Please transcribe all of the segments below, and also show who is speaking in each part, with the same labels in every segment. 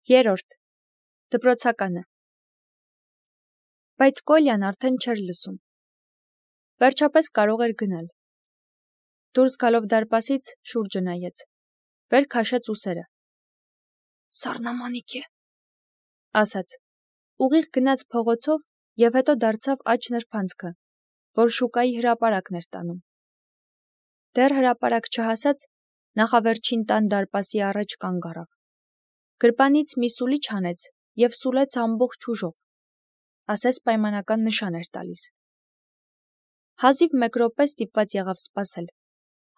Speaker 1: Երրորդ. Դպրոցականը։ Բայց Կոլյան արդեն չէր լսում։ Վերջապես կարող էր գնալ։ Դուրս գալով դարպասից շուրջը նայեց։ Վեր քաշեց ուսերը։ Սառնամանիք է, ասաց։ Ուղիղ գնաց փողոցով և հետո դարձավ աջ նրբանցքը, որ շուկայի հրապարակն էր տանում։ Դեռ հրապարակ չհասած, նախավերջին տան դարպասի առաջ կանգ առավ։ Գրպանից մի սուլիչ հանեց և սուլեց ամբողջ ուժով, ասես պայմանական նշան էր տալիս։ Հազիվ 1 րոպե ստիպված եղավ սպասել։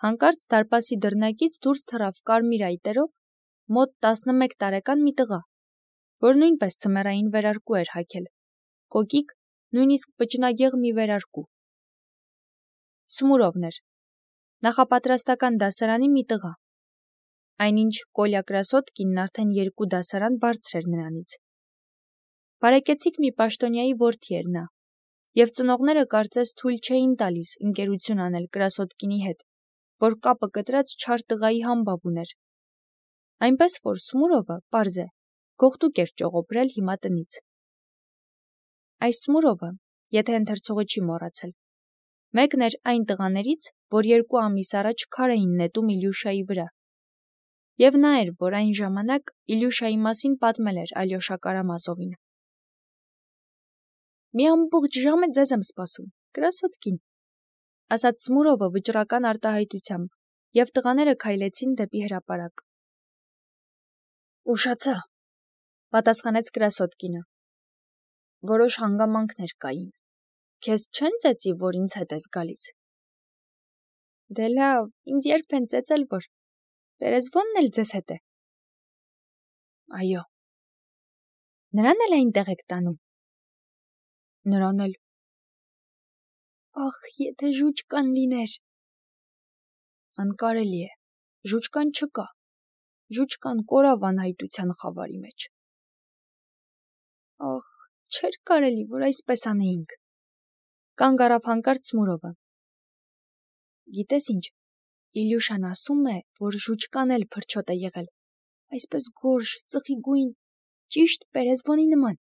Speaker 1: Հանկարծ դարպասի դռնակից դուրս թռավ կարմիր այտերով մոտ 11 տարեկան մի տղա, որ նույնպես ձմեռային վերարկու էր հագել, կոկիկ, նույնիսկ պճնագեղ մի վերարկու։ Սմուրովն էր, նախապատրաստական դասարանի մի տղա, այնինչ Կոլյա Կրասոդկինն արդեն 2 դասարան բարձր էր նրանից։ Բարեկեցիկ մի պաշտոնյայի որդի էր նա, և ծնողները կարծես թույլ չէին տալիս ընկերություն անել Կրասոդկինի հետ, որ կապը կտրած չար տղայի համբավ ուներ։ Այնպես որ Սմուրովը, պարզ է, գողտուկ էր ճողոպրել հիմա տնից։ Այս Սմուրովը, եթե ընթերցողը չի մոռացել, մեկն էր այն տղաներից, որ 2 ամիս առաջ քար էին նետում Իլյուշայի վրա։ Եվ նա էր, որ այն ժամանակ Իլյուշայի մասին պատմել էր Ալյոշա Կարամազովին։ Մի ամբողջ ժամ է ձեզ եմ սպասում, Կրասոդկին, ասաց Սմուրովը վճռական արտահայտությամբ, և տղաները քայլեցին դեպի հրապարակ։ Ուշացա, պատասխանեց Կրասոդկինը։ Որոշ հանգամանքներ կային։ Քեզ չեն ծեծի, որ ինձ հետ ես գալիս։ Դե լավ, ինձ երբ են ծեծել, որ Պերեզվոնն էլ ձեզ հետ է։ Այո։ Նրան էլ այնտեղ եք տանում։ Նրան էլ։ Ախ, եթե ժուճկան լիներ։ Անկարելի է, ժուճկան չկա։ Ժուճկան կորավ անհայտության խավարի մեջ։ Ախ, չէր կարելի, որ այսպես անեինք։ Կանգ առավ հանկարծ Սմուրովը։ Գիտես ինչ, Իլյուշան ասում է, որ ժուճկան էլ փրչոտ է եղել, այսպես գորշ, ծխի գույն, ճիշտ Պերեզվոնի նման։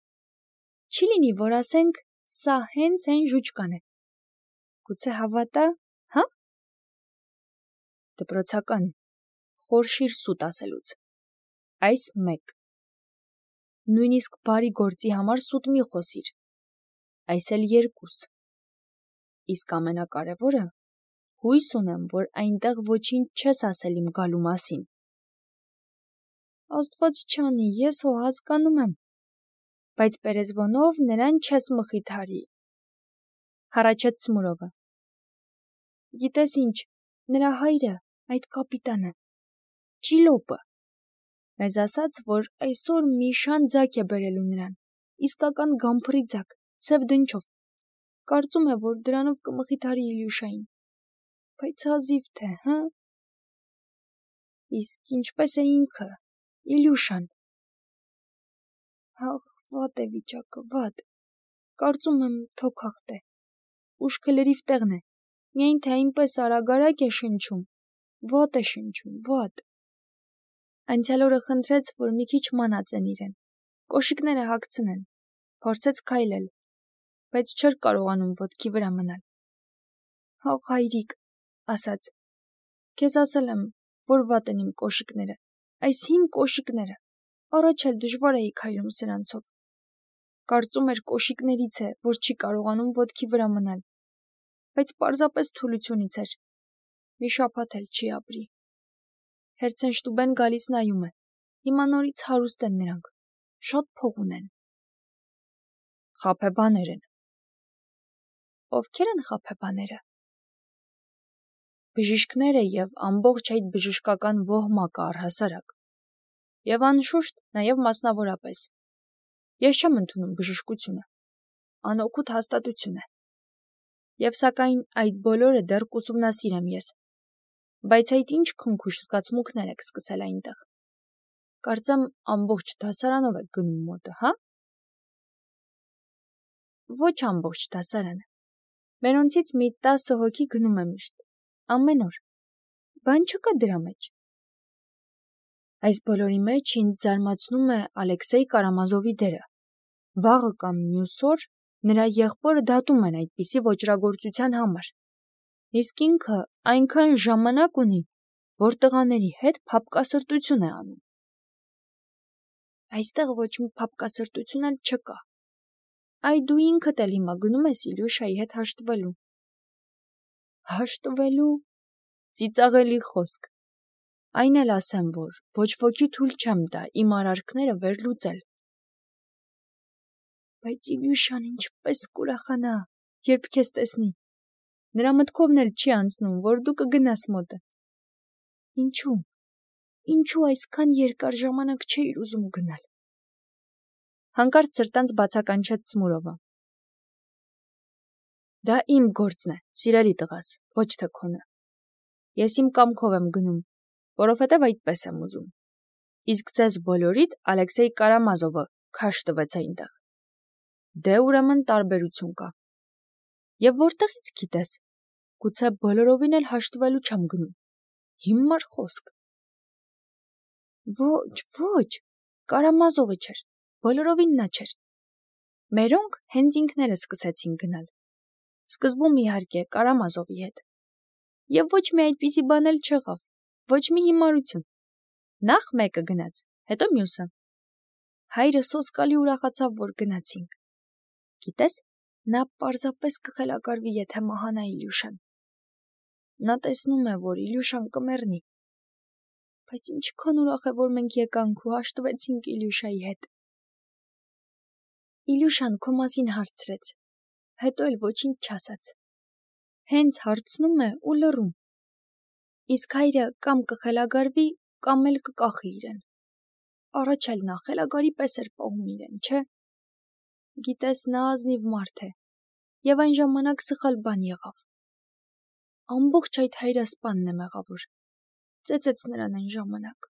Speaker 1: Չի լինի, որ ասենք, սա հենց այն ժուճկան է։ Գուցե հավատա, հա։ Դպրոցական, խորշիր սուտ ասելուց։ Այս 1։ Նույնիսկ բարի գործի համար սուտ մի խոսիր։ Այս էլ 2։ Իսկ ամենակարևորը, հույս ունեմ, որ այնտեղ ոչինչ չես ասել իմ գալու մասին։ Աստված չանի, ես հո հասկանում եմ, բայց Պերեզվոնով նրան չես մխիթարի։ Հառաչեց Սմուրովը։ Գիտես ինչ, նրա հայրը, այդ կապիտանը, Ճիլոպը, մեզ ասաց, որ այսօր մի շան ձագ է բերելու նրան, իսկական գամփրի ձագ, սև դնչով, կարծում է, որ դրանով կմխիթարի Իլյուշային, բայց հազիվ թե, հը։ Իսկ ինչպես է ինքը, Իլյուշան։ Ախ, վատ է վիճակը, վատ, կարծում եմ թոքախտ է, ուշքը լրիվ տեղն է, միայն թե այնպես արագ է շնչում, վատ է շնչում, վատ։ Անցյալ օրը խնդրեց, որ մի քիչ մանածեն իրեն, կոշիկները հագցնեն, փորձեց քայլել, բայց չէր կարողանում ոտքի վրա մնալ։ Ախ, հայրիկ, ասաց, քեզ ասել եմ, որ վատ են իմ կոշիկները, այս հին կոշիկները, առաջ էլ դժվար էի քայլում սրանցով։ Կարծում էր կոշիկներից է, որ չի կարողանում ոտքի վրա մնալ, բայց պարզապես թուլությունից էր։ Մի շաբաթ էլ չի ապրի։ Հերցենշտուբեն գալիս նայում է։ Հիմա նորից հարուստ են նրանք, շատ փող ունեն։ Խաբեբաներ են։ Ովքեր են խաբեբաները։ Բժիշկները և ամբողջ այդ բժշկական ոհմակը առհասարակ։ Եվ անշուշտ նաև մասնավորապես։ Ես չեմ ընդունում բժշկությունը։ Անօգուտ հաստատություն է։ Եվ սակայն այդ բոլորը դեռ կուսումնասիրեմ ես։ Բայց այդ ինչ քնքուշ զգացմունքներ եք սկսել այնտեղ։ Կարծեմ ամբողջ դասարանով եք գնում մոտը, հա։ Ոչ ամբողջ դասարանը։ Մենոնցից մի 10 հոգի գնում է միշտ, ամեն օր։ Բան չկա դրա մեջ։ Այս բոլորի մեջ ինձ զարմացնում է Ալեքսեյ Կարամազովի դերը։ Վաղը կամ մյուս օր նրա եղբորը դատում են այդպիսի ոճրագործության համար։ Իսկ ինքը այնքան ժամանակ ունի, որ տղաների հետ փափկասրտություն է անում։ Այստեղ ոչ մի փափկասրտություն էլ չկա։ Այ դու ինքդ էլ հիմա գնում ես Իլյուշայի հետ հաշտվելու։ Հաշտվելու, ծիծաղելի խոսք։ Այն էլ ասեմ, որ ոչ ոքի թույլ չեմ տա իմ արարքները վերլուծել։ Բայց Իլյուշան ինչպես կուրախանա, երբ քեզ տեսնի։ Նրա մտքովն էլ չի անցնում, որ դու կգնաս մոտը։ Ինչու այսքան երկար ժամանակ չէիր ուզում գնալ։ Հանկարծ սրտանց բացականչեց Սմուրովը։ Դա իմ գործն է, սիրելի տղաս, ոչ թե քոնը։ Ես իմ կամքով եմ գնում, որովհետև այդպես եմ ուզում։ Իսկ ձեզ բոլորիդ Ալեքսեյ Կարամազովը քաշ տվեց այնտեղ։ Դե ուրեմն տարբերություն կա։ Եվ որտեղից գիտես։ Գուցե բոլորովին էլ հաշտվելու չեմ գնում։ Հիմար խոսք։ Ոչ, Կարամազովը չէր, բոլորովին նա չէր։ Մերոնք հենց ինքներս սկսեցին գնալ։ Սկզբում իհարկե Կարամազովի հետ։ Եվ ոչ մի այդպիսի բան էլ չեղավ, ոչ մի հիմարություն։ Նախ մեկը գնաց, հետո մյուսը։ Հայրը սոսկալի ուրախացավ, որ գնացինք։ Գիտես, նա պարզապես կխելագարվի, եթե մահանա Իլյուշան։ Նա տեսնում է, որ Իլյուշան կմեռնի։ Բայց ինչքան ուրախ է, որ մենք եկանք ու հաշտվեցինք Իլյուշայի հետ։ Իլյուշան քո մասին հարցրեց, հետո էլ ոչինչ չասաց։ Հենց հարցնում է ու լռում։ Իսկ հայրը կամ կխելագարվի, կամ էլ կկախի իրեն։ Առաջ էլ նա խելագարի պես էր պահում իրեն, չէ։ Գիտես, նա ազնիվ մարդ է, եւ այն ժամանակ սխալ բան եղավ։ Ամբողջ այդ հայրասպանն է մեղավոր, ծեծեց նրան այն ժամանակ։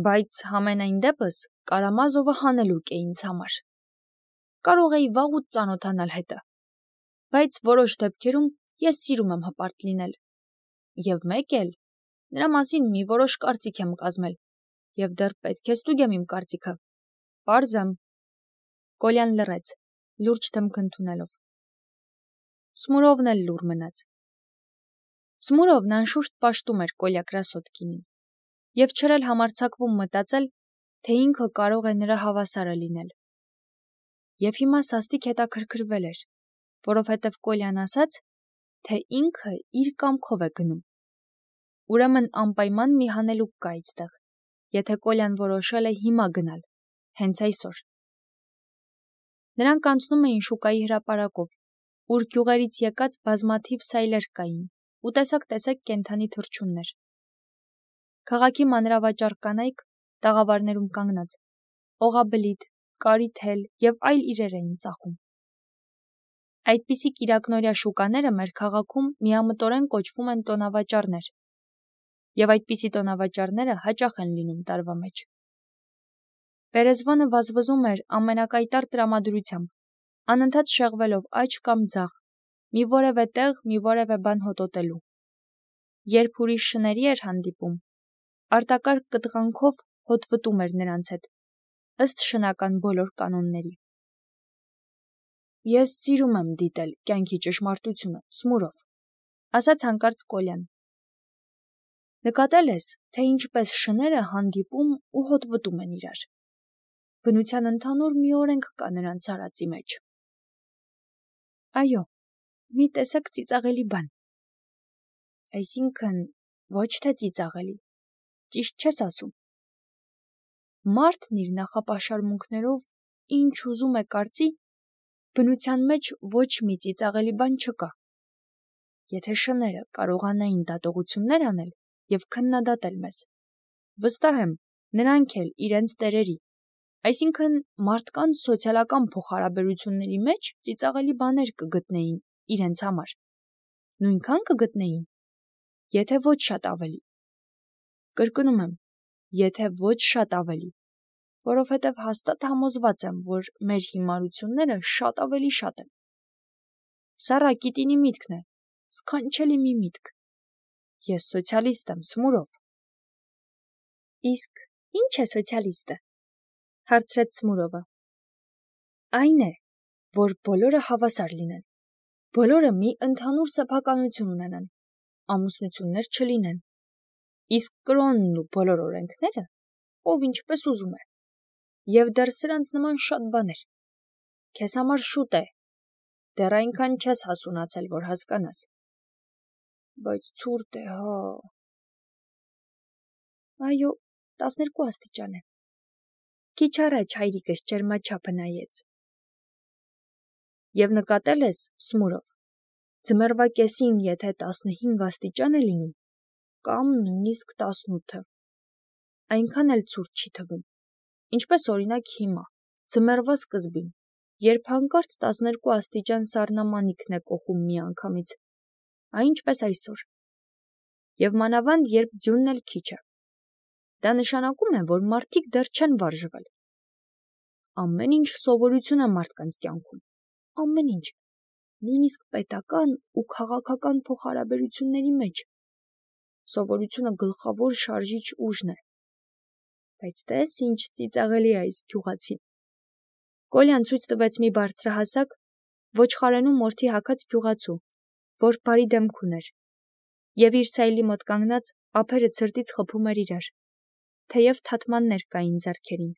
Speaker 1: Բայց համենայն դեպս Կարամազովը հանելուկ է ինձ համար։ Կարող էի վաղուց ծանոթանալ հետը, բայց որոշ դեպքերում ես սիրում եմ հպարտ լինել։ Եվ մեկ էլ, նրա մասին մի որոշ կարծիք եմ կազմել, եւ դեռ պետք է ստուգեմ իմ կարծիքը։ Պարզ եմ։ Կոլյան լռեց, լուրջ դեմք ընդունելով։ Սմուրովն էլ լուռ մնաց։ Սմուրովն անշուշտ պաշտում էր Կոլյա Կրասոդկինին, եւ չէր էլ համարձակվում մտածել, թե ինքը կարող է նրա հավասարը լինել։ Եվ հիմա սաստիկ հետաքրքրվել էր, որովհետև Կոլյան ասաց, թե ինքը իր կամքով է գնում։ Ուրեմն անպայման մի հանելուկ կա այստեղ, եթե Կոլյան որոշել է հիմա գնալ, հենց այսօր։ Նրանք անցնում էին շուկայի հրապարակով, ուր գյուղերից եկած բազմաթիվ սայլեր կային ու տեսակ կենդանի թռչուններ։ Քաղաքի մանրավաճառ կանայք, տաղավարներում կանգնած, օղաբլիթ, կարիթել եւ այլ իրեր էին ծախում։ Այդպիսի կիրակնօրյա շուկաները մեր քաղաքում միամտորեն կոչվում են տոնավաճառներ, եւ այդպիսի տոնավաճառները հաճախ են լինում տարվա մեջ։ Պերեզվոնը վազվզում էր ամենակայտառ տրամադրությամբ, անընդհատ շեղվելով աջ կամ ձախ, մի որևէ տեղ, մի որևէ բան հոտոտելու։ Երբ ուրիշ շների էր հանդիպում, արտակարգ կտղանքով հոտվտում էր նրանց հետ, ըստ շնական բոլոր կանոնների։ Ես սիրում եմ դիտել կյանքի ճշմարտությունը, Սմուրով, ասաց հանկարծ Կոլյան։ Նկատել ես, թե ինչպես շները հանդիպում ու հոտվտում են իրար։ Բնության ընդհանուր մի օրենք կա նրանց արածի մեջ։ Այո, մի տեսակ ծիծաղելի բան։ Այսինքն, ոչ թե ծիծաղելի, ճիշտ չես ասում։ Մարդն իր նախապաշարմունքներով ինչ ուզում է կարծի, բնության մեջ ոչ մի ծիծաղելի բան չկա։ Եթե շները կարողանային դատողություններ անել եւ քննադատել մեզ, վստահ եմ, նրանք էլ իրենց տերերի, այսինքն մարդկանց սոցիալական փոխհարաբերությունների մեջ ծիծաղելի բաներ կգտնեին իրենց համար։ Նույնքան կգտնեին, եթե ոչ շատ ավելի։ Կրկնում եմ, եթե ոչ շատ ավելի, որովհետև հաստատ համոզված եմ, որ մեր հիմարությունները շատ ավելի շատ են։ Սա Ռակիտինի միտքն է, սքանչելի մի միտք։ Ես սոցիալիստ եմ, Սմուրով։ Իսկ ի՞նչ է սոցիալիստը, հարցրեց Սմուրովը։ Այն է, որ բոլորը հավասար լինեն, բոլորը մի ընդհանուր սեփականություն ունենան, ամուսնություններ չլինեն, իսկ կրոնն ու բոլոր օրենքները ով ինչպես ուզում է, և դեռ սրանց նման շատ բաներ։ Քեզ համար շուտ է, դեռ այնքան չես հասունացել, որ հասկանաս։ Բայց ցուրտ է, հա։ Այո, 12 աստիճան է։ Քիչ առաջ հայրիկս ջերմաչափը նայեց։ Եվ նկատել ես, Սմուրով, ձմեռվա կեսին, եթե 15 աստիճան է լինում, կամ նույնիսկ 18, այնքան էլ ցուրտ չի թվում, ինչպես օրինակ հիմա, ձմեռվա սկզբին, երբ հանկարծ 12 աստիճան սառնամանիքն է կոխում միանգամից, այնպես այսօր, և մանավանդ երբ ձյունն էլ քիչ է։ Դա նշանակում է, որ մարդիկ դեռ չեն վարժվել։ Ամեն ինչ սովորություն է մարդկանց կյանքում, ամեն ինչ, նույնիսկ պետական ու քաղաքական փոխհարաբերությունների մեջ։ Սովորությունը գլխավոր շարժիչ ուժն է։ Բայց տես ինչ ծիծաղելի է այս գյուղացին։ Կոլյան ցույց տվեց մի բարձրահասակ, ոչխարենու մորթի հագած գյուղացու, որ բարի դեմք ուներ, և իր սայլի մոտ կանգնած ափերը ցրտից խփում էր իրար, թեև թաթմաններ կային ձեռքերին։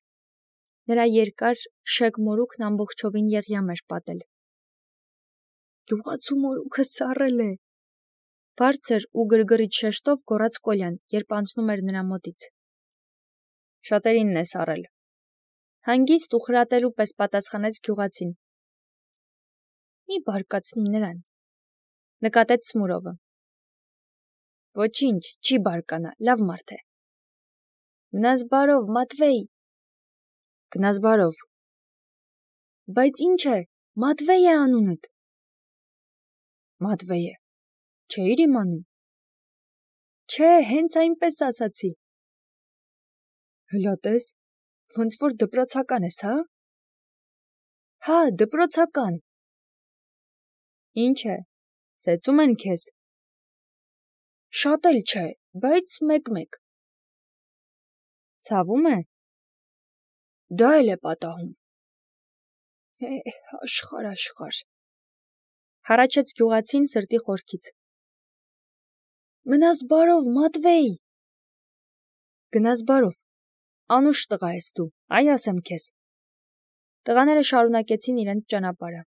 Speaker 1: Նրա երկար, շեկ մորուքն ամբողջովին եղյամ էր պատել։ Գյուղացու մորուքը սառել է, բարձր ու գրգռիչ շեշտով գոռաց Կոլյան, երբ անցնում էր նրա մոտից։ Շատերինն է սառել։ Հանգիստ ու խրատելու պես պատասխանեց գյուղացին։ Մի բարկացնի նրան, նկատեց Սմուրովը։ Ոչինչ, չի բարկանա, լավ մարդ է։ Գնաս բարով, Մատվեյ։ Գնաս բարով։ Բայց ինչ է, Մատվեյ է անունդ։ Մատվեյ է, չէիր իմանում։ Չէ, հենց այնպես ասացի։ Հլա տես, ոնց որ դպրոցական ես, հա։ Հա, դպրոցական։ Ինչ է, ծեծում են քեզ։ Շատ էլ չէ, բայց մեկ-մեկ։ Ցավում է։ Դա էլ է պատահում։ Աշխարհ։ Հառաչեց գյուղացին սրտի խորքից։ Մնաս բարով, Մատվեյ։ Գնաս բարով։ Անուշ տղա ես դու, այ ասեմ քեզ։ Տղաները շարունակեցին իրենց ճանապարհը։